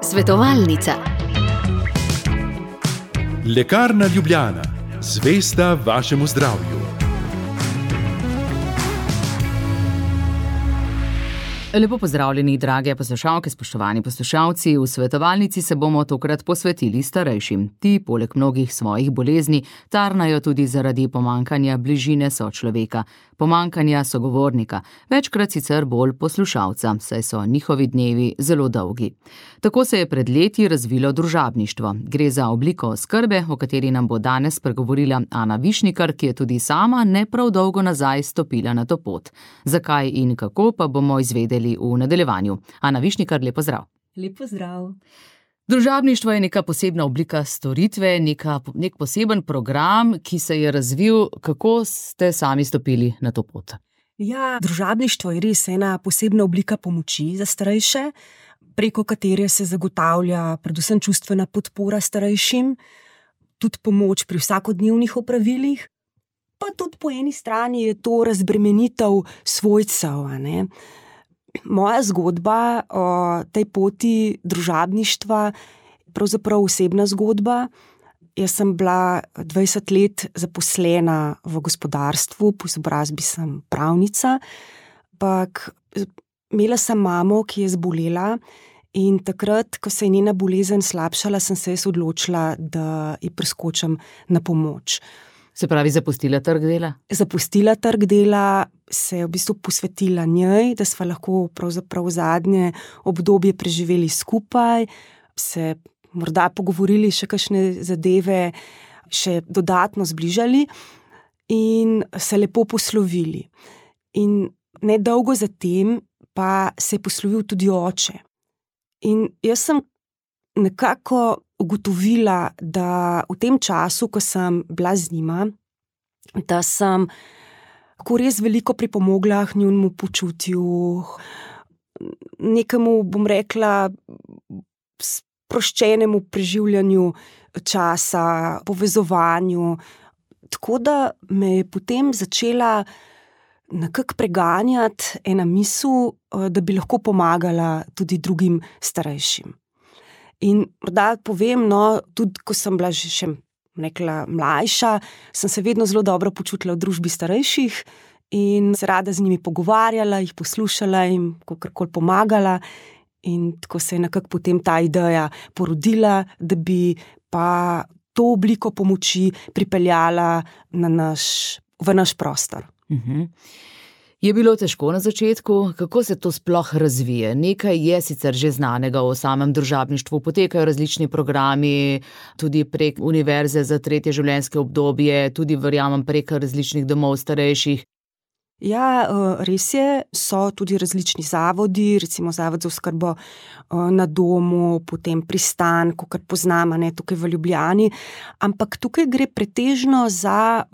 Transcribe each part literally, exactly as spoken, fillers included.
Svetovalnica. Lekarna Ljubljana, zvesta vašemu zdravju. Lepo pozdravljeni, drage poslušalke, spoštovani poslušalci. V svetovalnici se bomo tokrat posvetili starejšim. Ti, poleg mnogih svojih bolezni, tarnajo tudi zaradi pomanjkanja bližine sočloveka, pomanjkanja sogovornika, večkrat sicer bolj poslušalca, saj so njihovi dnevi zelo dolgi. Tako se je pred leti razvilo družabništvo. Gre za obliko oskrbe, o kateri nam bo danes spregovorila Ana Višnikar, ki je tudi sama ne prav dolgo nazaj stopila na to pot. Zakaj in kako pa bomo izvedeli v nadaljevanju. Ana Višnikar, lep pozdrav. Lep pozdrav. Družabništvo je neka posebna oblika storitve, neka, nek poseben program, ki se je razvil. Kako ste sami stopili na to pot? Ja, družabništvo je res ena posebna oblika pomoči za starejše, preko katere se zagotavlja predvsem čustvena podpora starejšim, tudi pomoč pri vsakodnevnih opravilih, pa tudi po eni strani je to razbremenitev svojcev, a ne. Moja zgodba o tej poti družabništva je pravzaprav osebna zgodba. Jaz sem bila dvajset let zaposlena v gospodarstvu, po izobrazbi sem pravnica, ampak imela sem mamo, ki je zbolela, in takrat, ko se je njena bolezen slabšala, sem se jaz odločila, da ji priskočim na pomoč. Se pravi, zapustila trg dela? Zapustila trg dela, se je v bistvu posvetila njej, da sva lahko pravzaprav zadnje obdobje preživeli skupaj, se morda pogovorili še kakšne zadeve, še dodatno zbližali in se lepo poslovili. In nedolgo zatem pa se je poslovil tudi oče. In jaz sem nekako ugotovila, da v tem času, ko sem bila z njima, da sem lahko res veliko pripomogla k njunemu počutju, nekemu, bom rekla, sproščenemu preživljanju časa, povezovanju. Tako da me je potem začela nekako preganjati ena misel, da bi lahko pomagala tudi drugim starejšim. In morda povem, no, tudi ko sem bila že še nekla mlajša, sem se vedno zelo dobro počutila v družbi starejših in se rada z njimi pogovarjala, jih poslušala in kakorkoli pomagala. In tako se je nekako potem ta ideja porodila, da bi pa to obliko pomoči pripeljala na naš, v naš prostor. Uh-huh. Je bilo težko na začetku? Kako se to sploh razvije? Nekaj je sicer že znanega o samem družabništvu, potekajo različni programi, tudi prek Univerze za tretje življenjske obdobje, tudi verjamem prek različnih domov starejših. Ja, res je, so tudi različni zavodi, recimo Zavod za oskrbo na domu, potem Pristan, kakor poznamo, ne, tukaj v Ljubljani, ampak tukaj gre pretežno za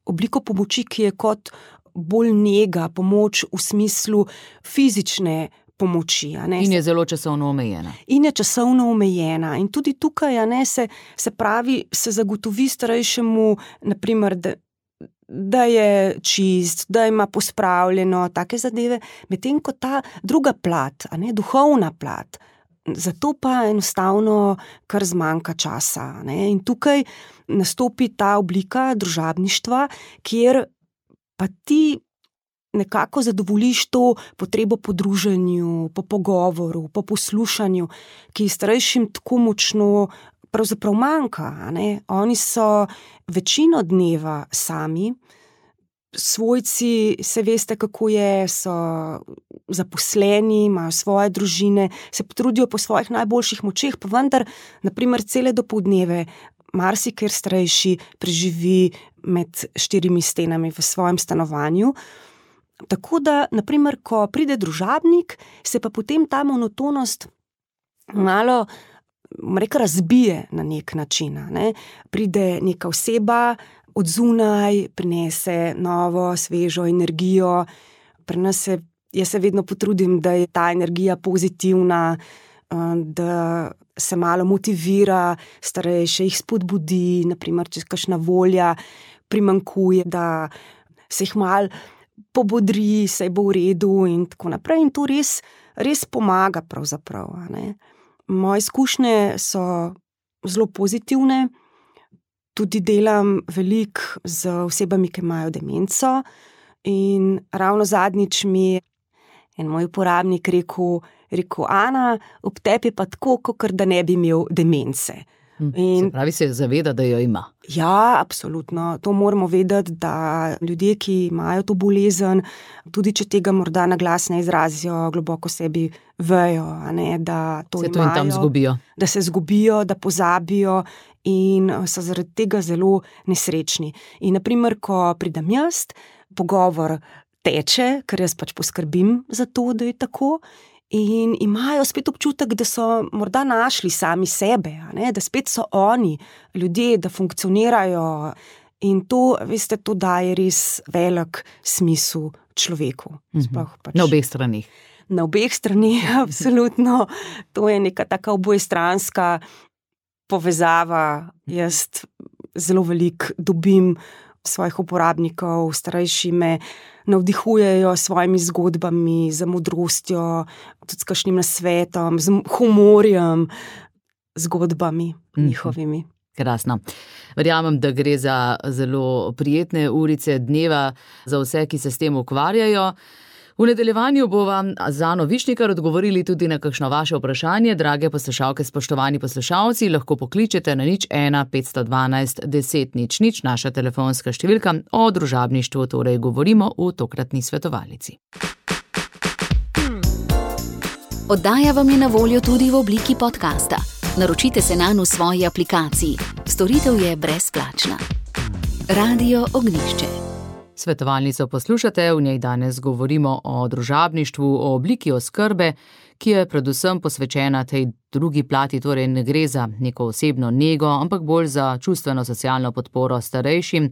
obliko pomoči, ki je kot bolj nega, pomoč v smislu fizične pomoči. A ne? In je zelo časovno omejena. In je časovno omejena. In tudi tukaj, a ne, se, se pravi, se zagotovi starejšemu, naprimer, da, da je čist, da ima pospravljeno, take zadeve, medtem ko ta druga plat, a ne, duhovna plat, zato pa enostavno kar zmanjka časa. A ne? In tukaj nastopi ta oblika družabništva, kjer pa ti nekako zadovoljiš to potrebo po druženju, po pogovoru, po poslušanju, ki starejšim tako močno pravzaprav manjka. A ne? Oni so večino dneva sami, svojci, se veste, kako je, so zaposleni, imajo svoje družine, se potrudijo po svojih najboljših močeh, pa vendar, naprimer, cele dopoldneve marsikjer starejši preživi med štirimi stenami v svojem stanovanju. Tako da, naprimer, ko pride družabnik, se pa potem ta monotonost malo, reka, razbije na nek način. Ne? Pride neka oseba od zunaj, prinese novo, svežo energijo. Pri nas se, jaz se vedno potrudim, da je ta energija pozitivna, da se malo motivira starejše, jih spodbudi, naprimer, če kakšna volja primanjkuje, da se jih malo pobodri, saj bo v redu in tako naprej. In to res, res pomaga pravzaprav. A ne. Moje izkušnje so zelo pozitivne, tudi delam veliko z osebami, ki imajo demenco in ravno zadnjič mi je en moj uporabnik rekel, rekel, Ana, ob tebi je pa tako, kakor da ne bi imel demence. In, se pravi, se zaveda, da jo ima. Ja, absolutno. To moramo vedeti, da ljudje, ki imajo to bolezen, tudi če tega morda na glas ne izrazijo, globoko sebi vejo, a ne, da to se imajo. Se to in tam zgubijo. Da se zgubijo, da pozabijo in so zaradi tega zelo nesrečni. In naprimer, ko pridem jaz, pogovor teče, ker jaz pač poskrbim za to, da je tako, in imajo spet občutek, da so morda našli sami sebe, a ne? Da spet so oni, ljudje, da funkcionirajo in to, veste, to daje res velik smisel človeku. Mm-hmm. Pač na obeh stranih. Na obeh stranih, absolutno. To je neka taka obojestranska povezava. Jaz zelo veliko dobim svojih uporabnikov, starejši me navdihujejo s svojimi zgodbami, z modrostjo, tudi s kakšnim nasvetom, z humorjem, zgodbami mm-hmm. njihovimi. Krasno. Verjamem, da gre za zelo prijetne urice dneva za vse, ki se s tem ukvarjajo. V nadaljevanju bova z Ano Višnikar odgovorili tudi na kakšno vaše vprašanje. Drage poslušalke, spoštovani poslušalci, lahko pokličete na nič ena petsto dvanajst deset nič nič, naša telefonska številka. O družabništvu torej govorimo v tokratni svetovalnici. Oddaja vam je na voljo tudi v obliki podcasta. Naročite se nanj v svoji aplikaciji. Storitev je brezplačna. Radio Ognjišče. Svetovalnico poslušate, v njej danes govorimo o družabništvu, o obliki oskrbe, ki je predvsem posvečena tej drugi plati, torej ne gre za neko osebno nego, ampak bolj za čustveno-socialno podporo starejšim.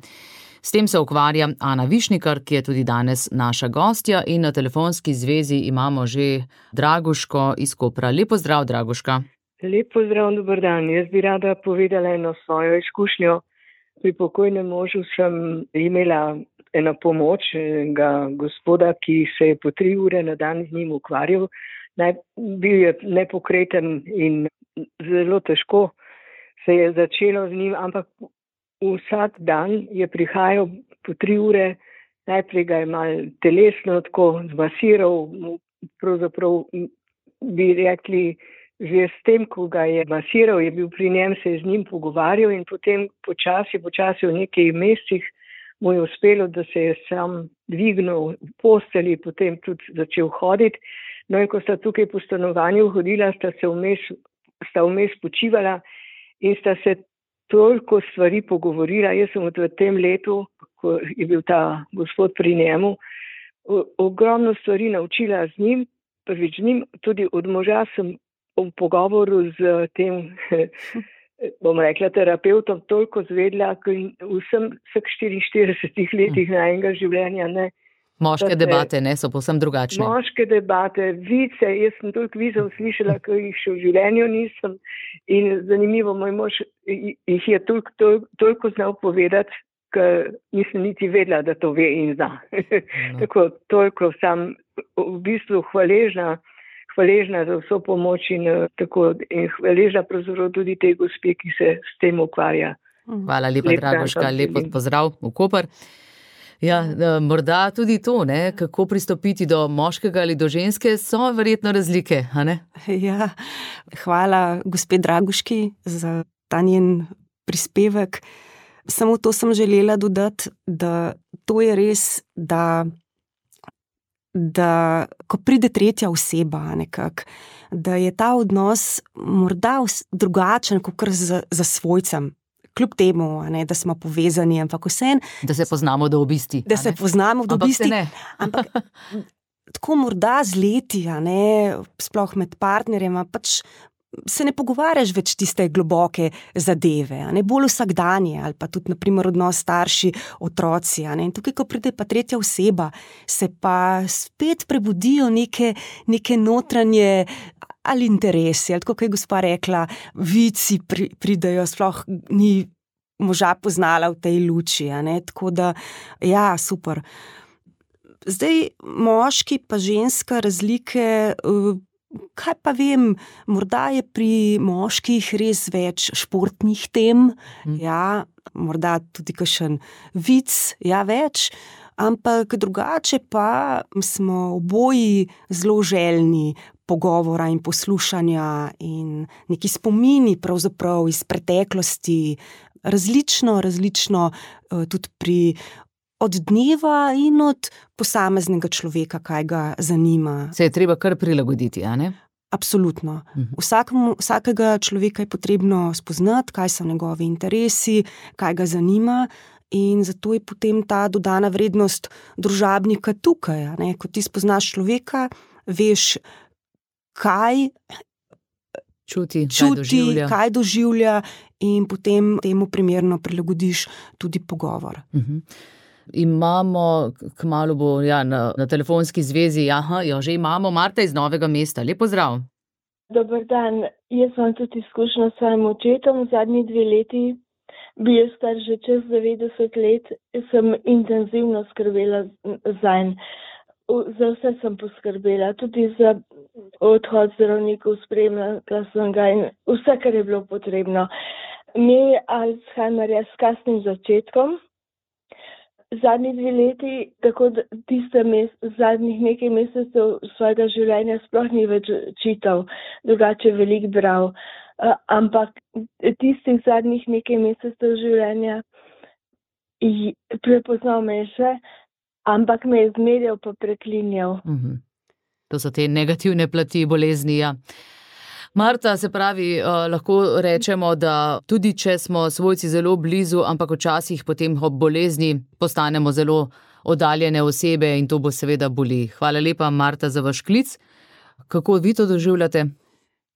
S tem se ukvarja Ana Višnikar, ki je tudi danes naša gostja, in na telefonski zvezi imamo že Draguško iz Kopra. Lep pozdrav, Draguška. Lep pozdrav, dober dan. Jaz bi rada povedala eno svojo izkušnjo. Pri pokojnem možu sem imela eno pomoč enega gospoda, ki se je po tri ure na dan z njim ukvarjal. Naj, bil je nepokreten in zelo težko se je začelo z njim, ampak vsak dan je prihajal po tri ure, najprej ga je mal telesno tako zmasiral, pravzaprav bi rekli, že s tem, ko ga je masiral, je bil pri njem, se je z njim pogovarjal in potem počasi, počasi v nekaj mesecih mu je uspelo, da se je sam dvignil v posteli, potem tudi začel hoditi. No in ko sta tukaj po stanovanju hodila, sta se vmes, sta vmes počivala in sta se toliko stvari pogovorila. Jaz sem v tem letu, ko je bil ta gospod pri njemu, ogromno stvari naučila z njim, prvič z njim, tudi od moža sem v pogovoru z tem, bom rekla, terapeutom toliko zvedla, ker vsem vseh štiriinštiridesetih letih najnega življenja, ne. Moške debate, ne, so povsem drugačne. Moške debate, vice, jaz sem toliko vicev slišala, ker jih še v življenju nisem. In zanimivo, moj mož jih je toliko, toliko, toliko znal povedati, ker nisem niti vedela, da to ve in zna. No. Tako, toliko sem v bistvu hvaležna, hvaležna za vso pomoč in, tako, in hvaležna pravzaprav tudi tej gospe, ki se s tem ukvarja. Hvala lepa, Lep Dragoška, lepo pozdrav v Koper. Ja, morda tudi to, ne, kako pristopiti do moškega ali do ženske, so verjetno razlike, a ne? Ja, hvala gospe Draguški za ta njen prispevek. Samo to sem želela dodati, da to je res, da da ko pride tretja oseba nekako, da je ta odnos morda drugačen kot za, za svojcem. Kljub temu, ne, da smo povezani, ampak vsem. Da se poznamo do obisti. Da se poznamo do obisti. Ampak tako morda z leti, ne, sploh med partnerjema, pač se ne pogovarjaš več tiste globoke zadeve, ne, bolj vsakdanje, ali pa tudi, naprimer, odnos starši, otroci. Ne. In tukaj, ko pride pa tretja oseba, se pa spet prebudijo neke, neke notranje ali interesi, ali tako, kot je gospa rekla, vici pri, pridejo, sploh ni moža poznala v tej luči, ne, tako da, ja, super. Zdaj, moški pa ženska razlike, kaj pa vem, morda je pri moških res več športnih tem, mm. ja, morda tudi kakšen vic, ja, več, ampak drugače pa smo oboji zelo željni pogovora in poslušanja in neki spomini pravzaprav iz preteklosti, različno, različno tudi pri od dneva in od posameznega človeka, kaj ga zanima. Se je treba kar prilagoditi, a ne? Absolutno. Vsakemu, vsakega človeka je potrebno spoznati, kaj so njegovi interesi, kaj ga zanima, in zato je potem ta dodana vrednost družabnika tukaj, a ne? Ko ti spoznaš človeka, veš, kaj čuti, čuti kaj doživlja. kaj doživlja in potem temu primerno prilagodiš tudi pogovor. Uh-huh. Imamo, kmalu bo ja, na, na telefonski zvezi, aha, jo že imamo, Marta iz Novega mesta. Lep pozdrav. Dober dan, jaz imam tudi izkušnjo s svojim očetom. Zadnji dve leti, bil je star že čez devetdeset let, sem intenzivno skrbela zanj. Za vse sem poskrbela, tudi za odhod zdravnikov, spremljala sem ga in vse, kar je bilo potrebno. Imel je Alzheimerja s kasnim začetkom. Zadnji dve leti, tako da tiste mes, zadnjih nekaj mesecev svojega življenja sploh ni več čital, drugače veliko bral. Uh, ampak tistih zadnjih nekaj mesecev življenja prepoznal me še, ampak me je zmerjal pa preklinjal. Uh-huh. To so te negativne plati bolezni, ja. Marta, se pravi, uh, lahko rečemo, da tudi če smo svojci zelo blizu, ampak včasih potem ob bolezni postanemo zelo oddaljene osebe in to bo seveda boli. Hvala lepa, Marta, za vaš klic. Kako vi to doživljate?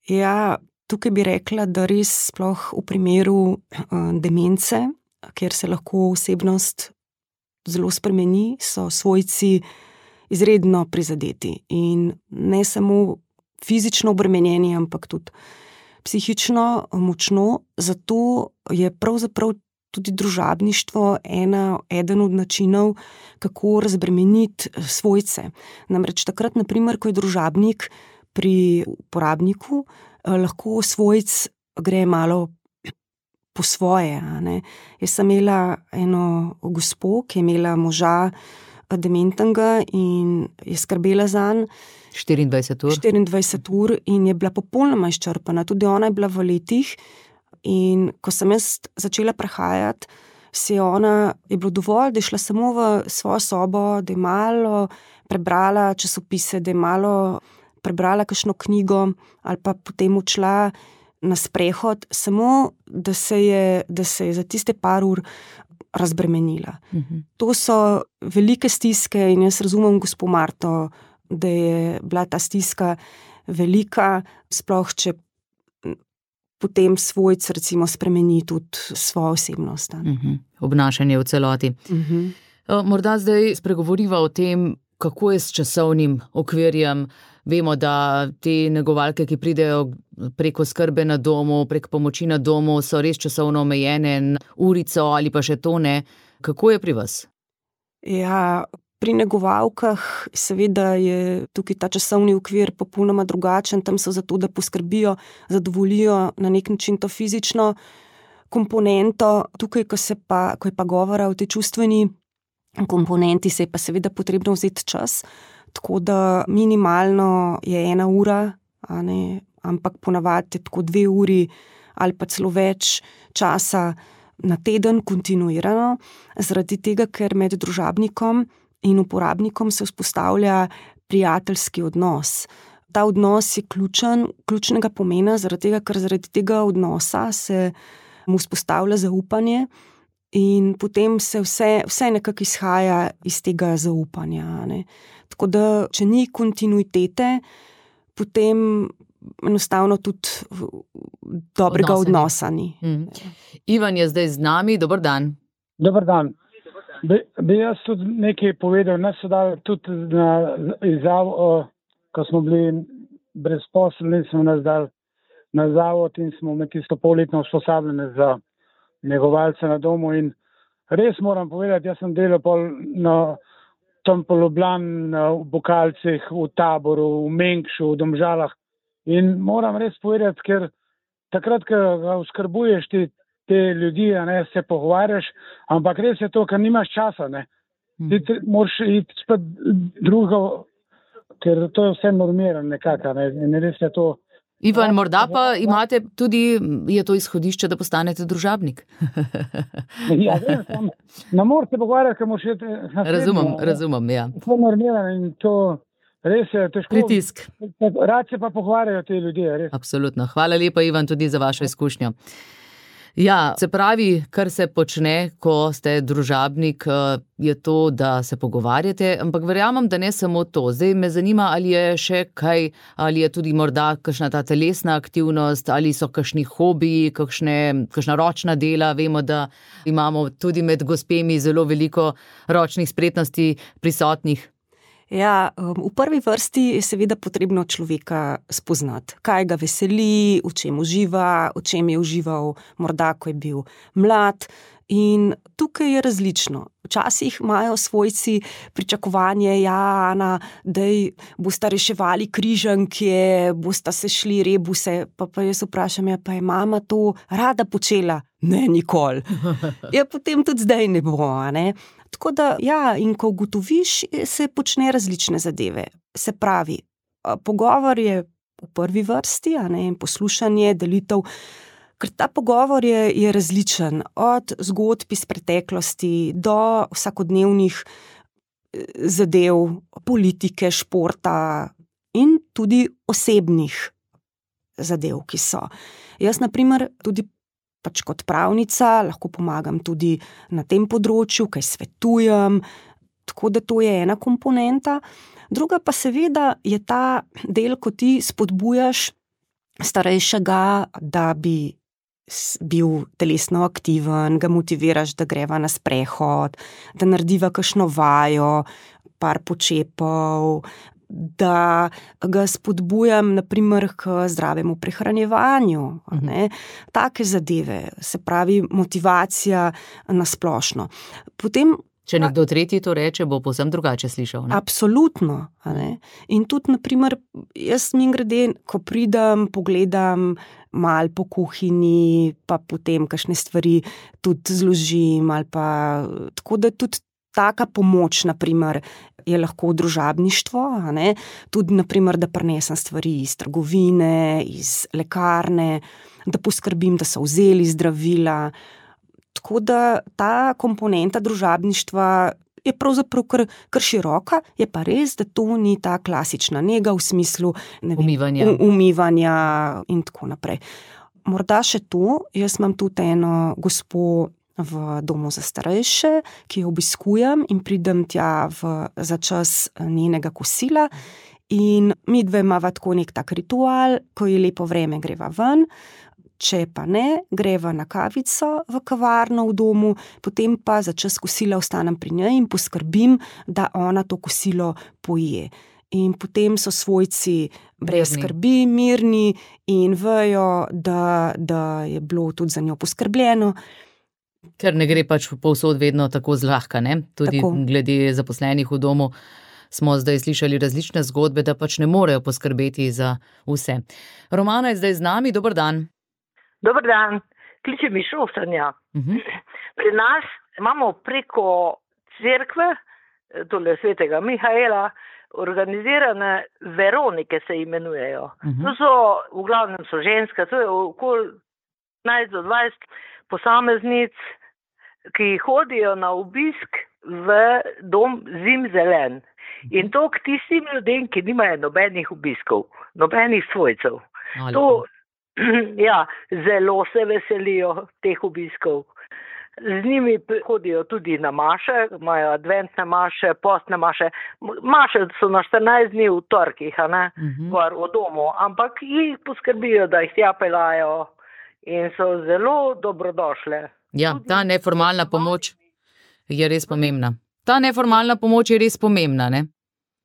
Ja, tukaj bi rekla, da res sploh v primeru uh, demence, kjer se lahko osebnost zelo spremeni, so svojci izredno prizadeti in ne samo fizično obremenjeni, ampak tudi psihično močno. Zato je pravzaprav tudi družabništvo ena, eden od načinov, kako razbremeniti svojce. Namreč takrat, na primer, ko je družabnik pri uporabniku, lahko svojc gre malo po svoje. A ne? Jaz sem imela eno gospo, ki je imela moža dementnega in je skrbela zanj štiriindvajset ur. štiriindvajset ur in je bila popolnoma izčrpana. Tudi ona je bila v letih in ko sem jaz začela prehajati, se je ona, je bilo dovolj, da je šla samo v svojo sobo, da je malo prebrala časopise, da je malo prebrala kakšno knjigo ali pa potem odšla na sprehod, samo da se je, da se je za tiste par ur razbremenila. Uh-huh. To so velike stiske in jaz razumem gospo Marto, da je bila ta stiska velika, sploh če potem svojc recimo spremeni tudi svojo osebnost. Uh-huh. Obnašanje v celoti. Uh-huh. Morda zdaj spregovoriva o tem, kako je s časovnim okvirjem. Vemo, da te negovalke, ki pridejo preko skrbe na domu, prek pomoči na domu, so res časovno omejene, urico ali pa še to ne. Kako je pri vas? Ja, pri negovalkah seveda je tukaj ta časovni okvir popolnoma drugačen. Tam so zato, da poskrbijo, zadovoljijo na nek način to fizično komponento. Tukaj, ko, se pa, ko je pa govora o tej čustveni komponenti, se je pa seveda potrebno vzeti čas. Tako da minimalno je ena ura, a ne, ampak ponavadi je tako dve uri ali pa celo več časa na teden kontinuirano, zaradi tega, ker med družabnikom in uporabnikom se vzpostavlja prijateljski odnos. Ta odnos je ključen, ključnega pomena, zaradi tega, ker zaradi tega odnosa se mu vzpostavlja zaupanje in potem se vse, vse nekako izhaja iz tega zaupanja, ne. Tako da, če ni kontinuitete, potem enostavno tudi dobrega odnosa ni. Mm. Ivan je zdaj z nami, dober dan. Dober dan. Bi, bi jaz tudi nekaj povedal, nas so dali tudi na izjav, ko smo bili brezposelni, smo nas dali na zavod in smo med tisto polletno usposabljene za negovalce na domu in res moram povedati, jaz sem delal pol na tam po Ljubljani, v Bokalcih, v Taboru, v Mengšu, v Domžalah. In moram res povedati, ker takrat, ko ga oskrbuješ ti, te ljudi, ne, se pogovarjaš, ampak res je to, ker nimaš časa, ne. Ti te, moraš iti spet drugo, ker to je vse normirano nekako, ne, in res je to. Ivan, morda pa imate tudi, je to izhodišče, da postanete družabnik. Ja, vem, tam, ne moreš se pogovarjati, ker moraš iti na srednjo. Razumem, razumem, ja. To je normirano in to res je težko. Pritisk. Rad se pa pogovarjajo te ljudje, res. Absolutno. Hvala lepa, Ivan, tudi za vašo izkušnjo. Ja, se pravi, kar se počne, ko ste družabnik, je to, da se pogovarjate, ampak verjamem, da ne samo to. Zdaj me zanima, ali je še kaj, ali je tudi morda kakšna ta telesna aktivnost, ali so kakšni hobiji, kakšne, kakšna ročna dela. Vemo, da imamo tudi med gospemi zelo veliko ročnih spretnosti prisotnih. Ja, v prvi vrsti je seveda potrebno človeka spoznati, kaj ga veseli, v čem uživa, v čem je užival morda, ko je bil mlad. In tukaj je različno. Včasih imajo svojci pričakovanje, ja, Ana, daj bosta reševali križanke, bosta se šli rebuse, pa, pa jaz vprašam, ja, pa je mama to rada počela? Ne, nikoli. Ja, potem tudi zdaj ne bo, ne. Tako da, ja, in ko ugotoviš, se počne različne zadeve. Se pravi, pogovor je v prvi vrsti, a ne, in poslušanje, delitev, ker ta pogovor je, je različen, od zgodb iz preteklosti do vsakodnevnih zadev, politike, športa in tudi osebnih zadev, ki so. Jaz, na primer, tudi pač kot pravnica lahko pomagam tudi na tem področju, kaj svetujem, tako da to je ena komponenta. Druga pa seveda je ta del, ko ti spodbujaš starejšega, da bi bil telesno aktiven, ga motiviraš, da greva na sprehod, da narediva kakšno vajo, par počepov, da ga spodbujam naprimer k zdravemu prehranjevanju, ne, take zadeve, se pravi motivacija na splošno. Potem, če nekdo tretji to reče, bo povsem drugače slišal, ne? Absolutno, ne. In tudi naprimer, jaz mimogrede, ko pridem, pogledam malo po kuhinji, pa potem kakšne stvari tudi zložim, ali pa tako, da tudi taka pomoč, naprimer, je lahko družabništvo, a ne, tudi, naprimer, da prinesem stvari iz trgovine, iz lekarne, da poskrbim, da so vzeli zdravila. Tako da ta komponenta družabništva je pravzaprav kar, kar široka, je pa res, da to ni ta klasična nega v smislu ne vem, umivanja. umivanja in tako naprej. Morda še to, jaz imam tudi eno gospo v domu za starejše, ki jo obiskujem in pridem tja v, za čas njenega kosila in midve imava tako nek tak ritual, ko je lepo vreme, greva ven, če pa ne, greva na kavico v kavarno v domu, potem pa za čas kosila ostanem pri njej in poskrbim, da ona to kosilo poje. In potem so svojci brez skrbi, mirni in vejo, da, da je bilo tudi za njo poskrbljeno. Ker ne gre pač povsod vedno tako zlahka, ne? Tudi tako. Glede zaposlenih v domu smo zdaj slišali različne zgodbe, da pač ne morejo poskrbeti za vse. Romana je zdaj z nami, dober dan. Dober dan, kliče mi Šoftanja. Uh-huh. Pri nas imamo preko cerkve, tole svetega Mihaela, organizirane veronike se imenujejo. Uh-huh. To so, v glavnem so ženske, to je okoli petnajst do dvajset posameznic, ki hodijo na obisk v dom Zimzelen. In to k tistim ljudem, ki nimajo nobenih obiskov, nobenih svojcev. To, ja, zelo se veselijo teh obiskov. Z njimi hodijo tudi na maše, imajo adventne maše, postne maše. Maše so na štirinajst dni v torkih, a ne, uh-huh. Gor v domu, ampak jih poskrbijo, da jih tja peljajo. In so zelo dobrodošle. Ja, ta neformalna pomoč je res pomembna. Ta neformalna pomoč je res pomembna, ne?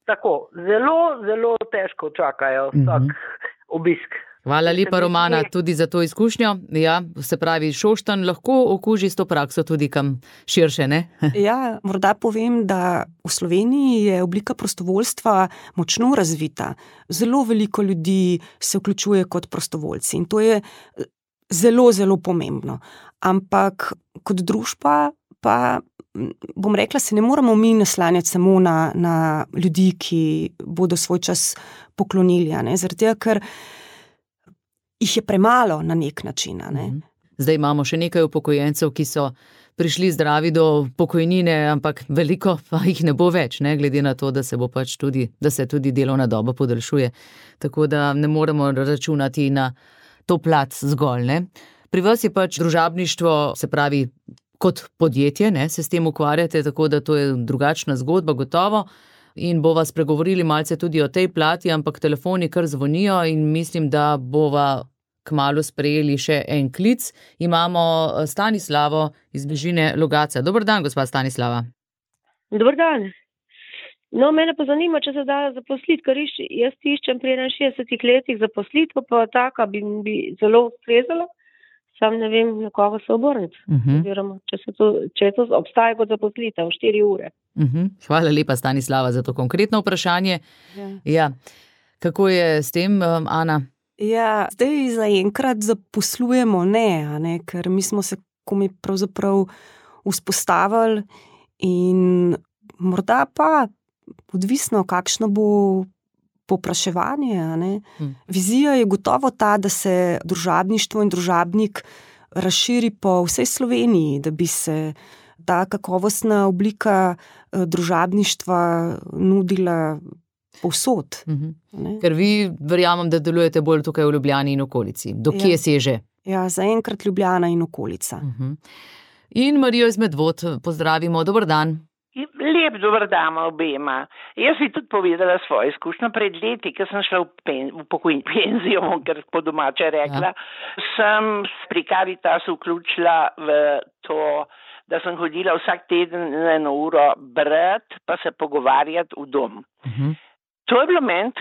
Tako, zelo, zelo težko čakajo vsak uh-huh. obisk. Hvala lepa, Romana, tudi za to izkušnjo. Ja, se pravi, Šoštanj lahko okuži s to prakso tudi kam širše, ne? Ja, morda povem, da v Sloveniji je oblika prostovoljstva močno razvita. Zelo veliko ljudi se vključuje kot prostovoljci in to je zelo, zelo pomembno. Ampak kot družba pa, bom rekla, se ne moramo mi naslanjati samo na, na ljudi, ki bodo svoj čas poklonili, ne? Zaradi tega, ker jih je premalo na nek način. Ne? Zdaj imamo še nekaj upokojencev, ki so prišli zdravi do pokojnine, ampak veliko pa jih ne bo več, ne? Glede na to, da se bo pač tudi, da se tudi delovna doba podaljšuje. Tako da ne moremo računati na to plat zgolj, ne? Pri vas je pač družabništvo, se pravi, kot podjetje, ne, se s tem ukvarjate, tako da to je drugačna zgodba, gotovo. In bova spregovorili malce tudi o tej plati, ampak telefoni kar zvonijo in mislim, da bova kmalu sprejeli še en klic. Imamo Stanislavo iz bližine Logatca. Dober dan, gospa Stanislava. Dober dan. No, mene pa zanima, če se da zaposliti, ker jaz iščem pri enainšestdesetih letih zaposlitev, pa taka bi, bi zelo ustrezala. Sam ne vem, na koga se obrniti. Uh-huh. Oziroma, če, se to, če to obstaja kot zaposlitev, štiri ure. Uh-huh. Hvala lepa, Stanislava, za to konkretno vprašanje. Ja. Ja. Kako je s tem, um, Ana? Ja, zdaj zaenkrat zaposlujemo ne, a ne, ker mi smo se komi pravzaprav vzpostavili in morda pa odvisno, kakšno bo popraševanje. Ne? Hmm. Vizija je gotovo ta, da se družabništvo in družabnik razširi po vsej Sloveniji, da bi se ta kakovostna oblika družabništva nudila povsod. Hmm. Ker vi verjamem, da delujete bolj tukaj v Ljubljani in okolici. Do kje ja. seže? Ja, zaenkrat Ljubljana in okolica. Uh-huh. In Marijo iz Medvod pozdravimo. Dober dan. Lep dober dan obema. Jaz bi tudi povedala svojo izkušnjo. Pred leti, ko sem šla v, pen, v pokojni penzijo, ker po domače rekla, ja. sem pri Caritasu vključila v to, da sem hodila vsak teden na eno uro brati, pa se pogovarjati v dom. Uh-huh. To je bilo meni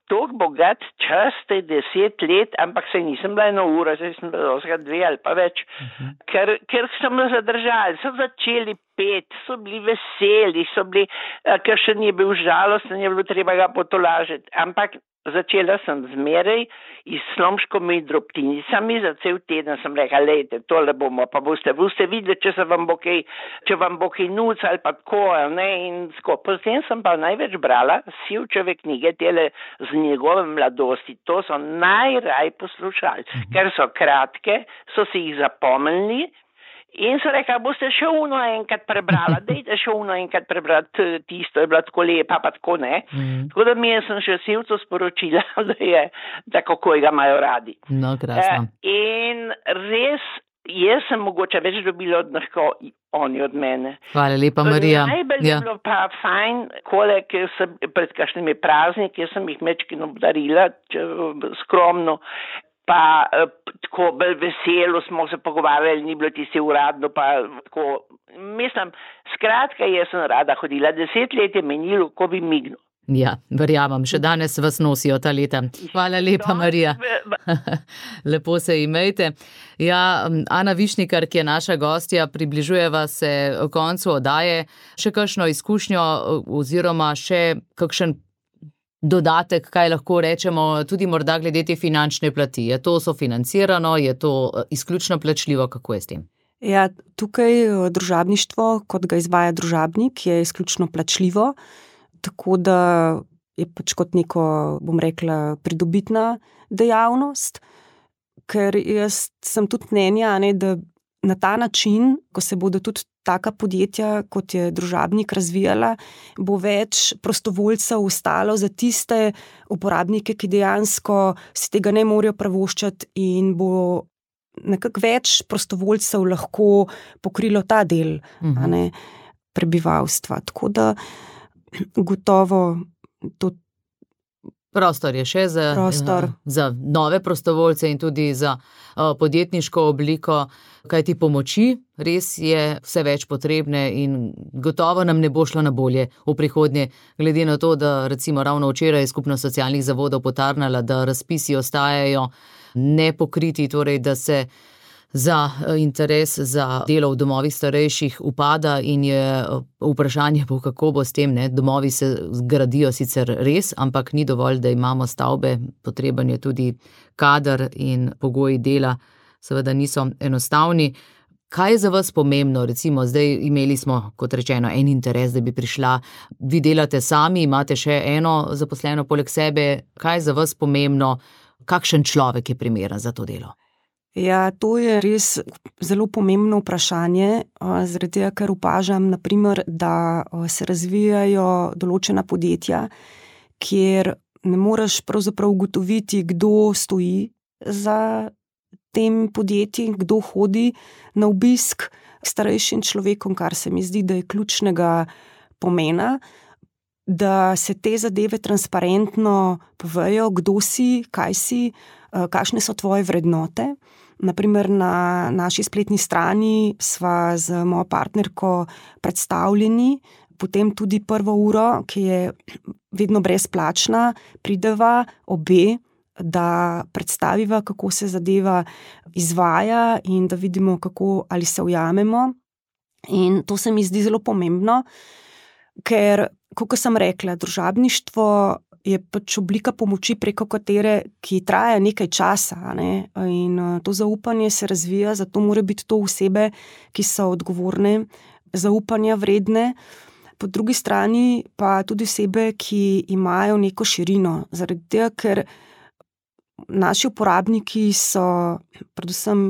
tako bogat čas, te deset let, ampak se nisem bila eno uro, zdaj sem bila osega dve ali pa več, uh-huh. ker, ker so me zadržali, so začeli pet, so bili veseli, so bili, ker še ni bil žalosten, je bilo treba ga potolažiti, ampak začela sem zmeraj in s slomškomi drobtinicami, za cel teden sem rekla, lejte, tole bomo, pa boste, boste videli, če se vam bo kaj, če vam bo kaj nuc ali pa tako, ne, in tako. Potem sem pa največ brala Sivčeve knjige, tele z njegove mladosti, to so najraj poslušali, mhm. ker so kratke, so si jih zapomnili, in so rekla, boste še uno enkrat prebrala, dejte še uno enkrat prebrati, tisto je bila tako lepa, pa tako ne. Mm. Tako da mi sem še Sivcu sporočila, da je, da kako ga imajo radi. No, krasno. E, in res, jaz sem mogoče več dobila od njih, oni od mene. Hvala lepa, Marija. Najbolj ja. je bilo pa fajn, kole, ker sem pred kakšnimi prazniki, jaz sem jih mečkino obdarila, skromno, pa tako bolj veselo smo se pogovarjali, ni bilo tisti uradno, pa tako, mislim, skratka, jaz sem rada hodila, deset let je menilo, ko bi mignil. Ja, verjamem, še danes vas nosijo ta leta. Hvala lepa, Marija. Lepo se imejte. Ja, Ana Višnikar, ki je naša gostja, približujeva se koncu oddaje, še kakšno izkušnjo oziroma še kakšen dodatek, kaj lahko rečemo, tudi morda glede te finančne plati. Je to sofinancirano, je to izključno plačljivo, kako je s tem? Ja, tukaj družabništvo, kot ga izvaja družabnik, je izključno plačljivo, tako da je pač kot neko, bom rekla, pridobitna dejavnost, ker jaz sem tudi mnenja, ne, da na ta način, ko se bodo tudi taka podjetja, kot je družabnik, razvijala, bo več prostovoljcev ostalo za tiste uporabnike, ki dejansko si tega ne morejo privoščiti in bo nekako več prostovoljcev lahko pokrilo ta del uh-huh. a ne, prebivalstva. Tako da gotovo to Prostor je še za, za nove prostovoljce in tudi za uh, podjetniško obliko, kajti pomoči res je vse več potrebne in gotovo nam ne bo šlo na bolje v prihodnje, glede na to, da recimo ravno včeraj je Skupnost socialnih zavodov potarnala, da razpisi ostajajo nepokriti, torej da se za interes za delo v domovih starejših upada in je vprašanje, kako bo s tem, ne? Domovi se gradijo sicer res, ampak ni dovolj, da imamo stavbe, potreben je tudi kader in pogoji dela seveda niso enostavni. Kaj je za vas pomembno? Recimo, zdaj imeli smo, kot rečeno, en interes, da bi prišla. Vi delate sami, imate še eno zaposleno poleg sebe. Kaj je za vas pomembno? Kakšen človek je primeren za to delo? Ja, to je res zelo pomembno vprašanje, zaradi tega, ker opažam, na primer, da se razvijajo določena podjetja, kjer ne moreš pravzaprav ugotoviti, kdo stoji za tem podjetjem, kdo hodi na obisk k starejšim človekom, kar se mi zdi, da je ključnega pomena, da se te zadeve transparentno povejo, kdo si, kaj si, kakšne so tvoje vrednote. Naprimer, na naši spletni strani sva z mojo partnerko predstavljeni, potem tudi prvo uro, ki je vedno brezplačna, prideva obe, da predstaviva, kako se zadeva izvaja in da vidimo, kako ali se ujamemo. In to se mi zdi zelo pomembno, ker, kot sem rekla, družabništvo je pač oblika pomoči, preko katere, ki traja nekaj časa, ne? In to zaupanje se razvija, zato mora biti to osebe, ki so odgovorne, zaupanja vredne, po drugi strani pa tudi osebe, ki imajo neko širino, zaradi tega, ker naši uporabniki so, predvsem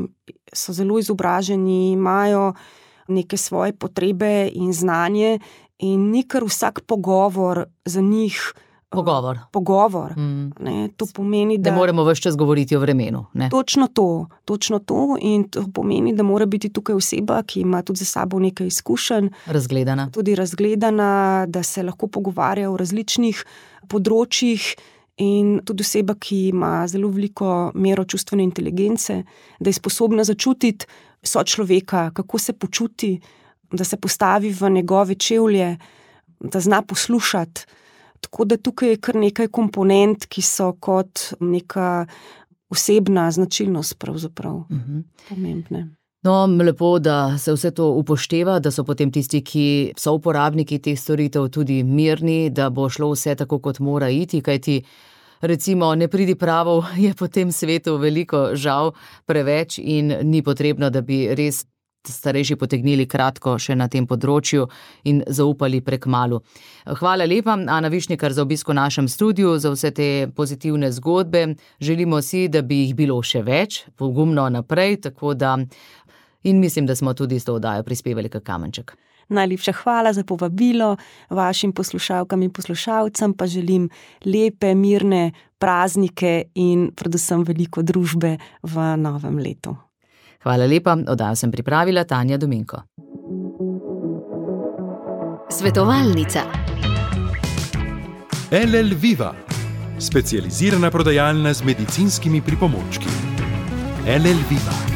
so zelo izobraženi, imajo neke svoje potrebe in znanje in ni kar vsak pogovor za njih Pogovor. Pogovor. Mm. Ne, to pomeni, da... Da moramo ves čas govoriti o vremenu. Ne? Točno to, točno to in to pomeni, da mora biti tukaj oseba, ki ima tudi za sabo nekaj izkušenj. Razgledana. Tudi razgledana, da se lahko pogovarja o različnih področjih in tudi oseba, ki ima zelo veliko mero čustvene inteligence, da je sposobna začutiti sočloveka, kako se počuti, da se postavi v njegove čevlje, da zna poslušati. Tako da tukaj je kar nekaj komponent, ki so kot neka osebna značilnost pravzaprav uh-huh. pomembne. No, lepo, da se vse to upošteva, da so potem tisti, ki so uporabniki teh storitev tudi mirni, da bo šlo vse tako, kot mora iti, kajti recimo nepridipravov je po tem svetu veliko, žal preveč in ni potrebno, da bi res starejši potegnili kratko še na tem področju in zaupali prekmalu. Hvala lepa, Ana Višnikar, za obisk v našem studiu, za vse te pozitivne zgodbe. Želimo si, da bi jih bilo še več, pogumno naprej, tako da in mislim, da smo tudi s to oddajo prispevali kak kamenček. Najlepša hvala za povabilo, vašim poslušalkam in poslušalcem pa želim lepe, mirne praznike in predvsem veliko družbe v novem letu. Hvala lepa, oddajo sem pripravila Tanja Dominko. Svetovalnica. L L Viva, specializirana prodajalna z medicinskimi pripomočki. L L Viva.